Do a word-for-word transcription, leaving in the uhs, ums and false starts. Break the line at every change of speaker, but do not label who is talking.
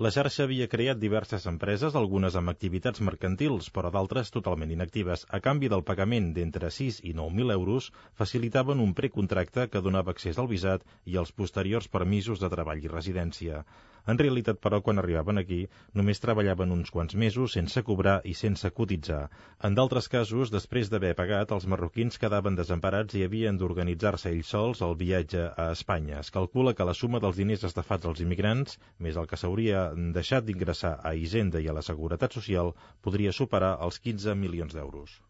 La xarxa havia creat diverses empreses, algunes amb activitats mercantils, però d'altres totalment inactives. A canvi del pagament d'entre sis i nou mil euros, facilitaven un precontracte que donava accés al visat i als posteriors permisos de treball i residència. En realitat, però, quan arribaven aquí, només treballaven uns quants mesos sense cobrar i sense cotitzar. En d'altres casos, després d'haver pagat, els marroquins quedaven desemparats i havien d'organitzar-se ells sols el viatge a Espanya. Es calcula que la suma dels diners estafats als immigrants, més el que s'hauria deixat d'ingressar a Hisenda i a la Seguretat Social, podria superar els quinze milions d'euros.